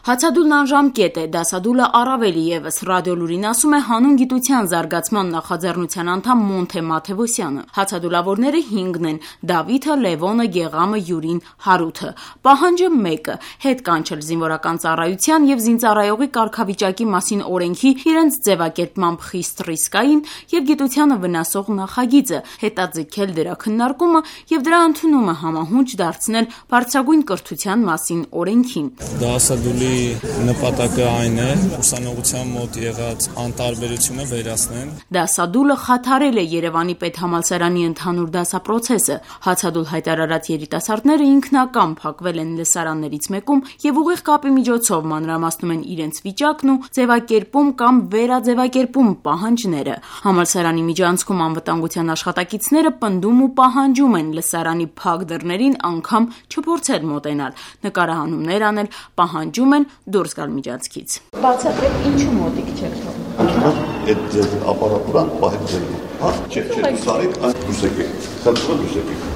Հացադուլն անժամկետ է, դասադուլը առավել ևս, ռադիոլուրին ասում է հանուն գիտության զարգացման նախաձեռնության անդամ Մոնթե Մաթևոսյանը։ Հացադուլավորները 5-ն են՝ Դավիթը, Լևոնը, Գեղամը, Յուրին, Հարութը։ Պահանջը մեկը՝ հետ կանչել զինվորական ծառայության եւ զինծառայողի կարգավիճակի մասին օրենքի իրենց ձևակերպմամբ խիստ ռիսկային եւ գիտությանը վնասող նախագիծը, հետաձգել դրա քննարկումը եւ դրա ընդունումը համահունչ դարձնել բարձրագույն կրթության մասին օրենքին։ Դասադուլի նպատակը այն է ուսանողության մոտ եղած անտարբերությունը վերացնել։ Դասադուլը խաթարել է Երևանի պետհամալսարանի ընդհանուր դասապրոցեսը։ Հացադուլ հայտարարած երիտասարդները ինքնակամ փակվել են լսարաններից մեկում եւ ուղիղ կապի միջոցով մանրամասնում են իրենց վիճակն ու ձևակերպում կամ վերաձևակերպում պահանջները։ Համալսարանի միջանցքում անվտանգության աշխատակիցները պնդում ու պահանջում են լսարանի փակ դռներին անգամ չփորձել մոտենալ, նկարահանումներ անել, պահանջում են դուրս գալ միջանցքից։ Բացատրեք ինչու մոտիկ չեք թողնում։ Այդ ձեր ապարատուրան պահեք ձեր։ Հա, չէ, սարեք, դուրս եկեք։ Խնդրում դուրս եկեք։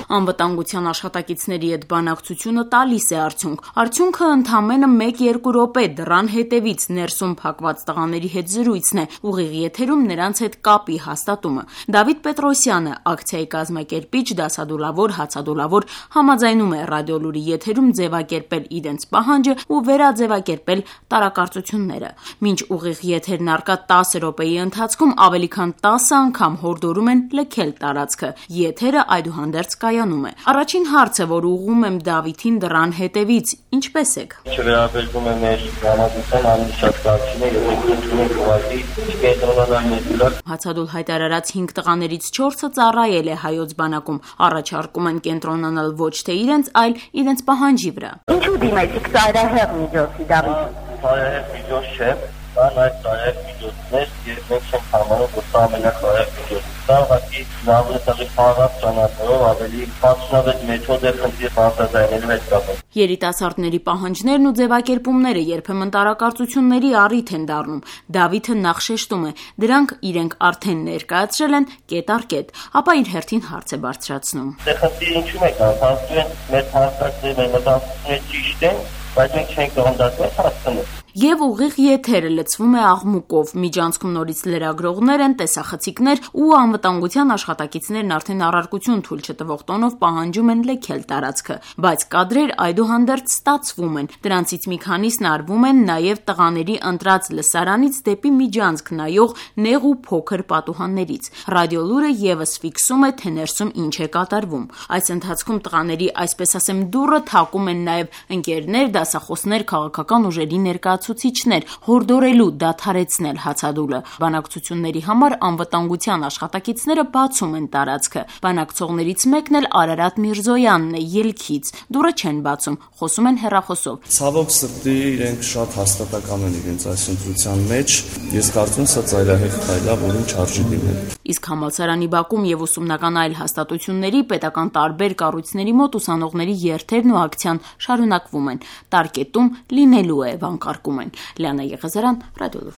Անվտանգության աշխատակիցների այդ բանակցությունը տալիս է արդյունք։ Արդյունքը ընդամենը 1-2 րոպե դռան հետևից ներսում փակված տղաների հետ զրույցն է, ուղիղ եթերում նրանց հետ կապի հաստատումը։ Դավիթ Պետրոսյանը, ակցիայի կազմակերպիչ, դասադուլավոր, հացադուլավոր, համաձայնում է ռադիոլուրի եթերում ձևակերպել իրենց պահանջը ու վերաձևակերպել տարակարծությունները։ Մինչ ուղիղ եթերն առկա 10 րոպեի ընթացքում ավելի քան 10 անգամ հորդորում են լքել տարածքը։ Եթերը այդուհանդերձ կայանում է։ Առաջին հարցը, որ ուղղում եմ Դավիթին դռան հետևից, ինչպես եք։ Չվերաբերվում է մեր գրանատության անմիջական կարծիքին եւ ընդունում ուղղակի կենտրոնանալ ներդրել։ Հացադուլ հայտարարած 5 տղաներից 4-ը ծառայել է հայոց բանակում։ Առաջարկում են կենտրոնանալ ոչ թե իրենց, այլ իրենց պահանջի վրա։ Ինչու դիմեցիք ծայրահեղ միջոցի, Դավիթ։ Ծայրահեղ միջոց չէ, կան այդ ծայրահեղ միջոցներ եւ մենք չենք համարում, որ դա ամենածայրահեղ միջոցն է։ Դա ուղղակի նավթի խաղաղ ճանապարհով ավելի պատշնավետ մեթոդ է խնդիր բարձրացնելու հետ կապված։ Երիտասարդների պահանջներն ու ձևակերպումները երբեմն տարակարծությունների առիթ են դառնում։ Դավիթը նախ շեշտում է, դրանք իրենք արդեն ներկայացրել են կետ առ կետ, ապա իր հերթին հարց է բարձրացնում։ Դե խնդիրը ինչու՞մ է կան, մեր փաստարկները մտածում ճիշտ են, բայց մենք չենք անդրադառնում հասցնել։ Եվ ուղիղ եթերը լցվում է աղմուկով, միջանցքում նորից լրագրողներ են, տեսախցիկներ ու անվտանգության աշխատակիցներն արդեն առարկություն թույլ չտվող տոնով պահանջում են լքել տարածքը, բայց կադրեր այդուհանդերձ ստացվում են, դրանցից մի քանիսն արվում են նաև տղաների ընտրած լսարանից դեպի միջանցք նայող նեղ ու փոքր պատուհաններից։ Ռադիոլուրը եւս ֆիքսում է, թե ներսում ինչ է կատարվում։ Այս ընթացքում տղաների, այսպես ասեմ, դուռը թակում են նաև ընկերներ, դասախոսներ, քաղաքական ուժերի ներկայացուցիչներ, հորդորելու դադարեցնել հացադուլը։ Բանակցությունների համար անվտանգության աշխատակիցները բացում են տարածքը։ Բանակցողներից մեկն էլ Արարատ Միրզոյանն է ելքից։ Դուռը չեն բացում, խոսում են հեռախոսով։ Ցավոք սրտի իրենք շատ հաստատակամ են իրենց այս ընտրության մեջ։ Ես կարծում եմ, սա ծայրահեղ քայլ է, որին չարժի դիմել։ Իսկ համալսարանի բակում եւ ուսումնական այլ հաստատությունների պետական տարբեր կառույցների մոտ ուսանողների երթերն ու ակցիան շարունակվում են։ Տարկետում լինելու է, վանկարկում են։ Լիանա Եղազարյան, Ռադիոլուր։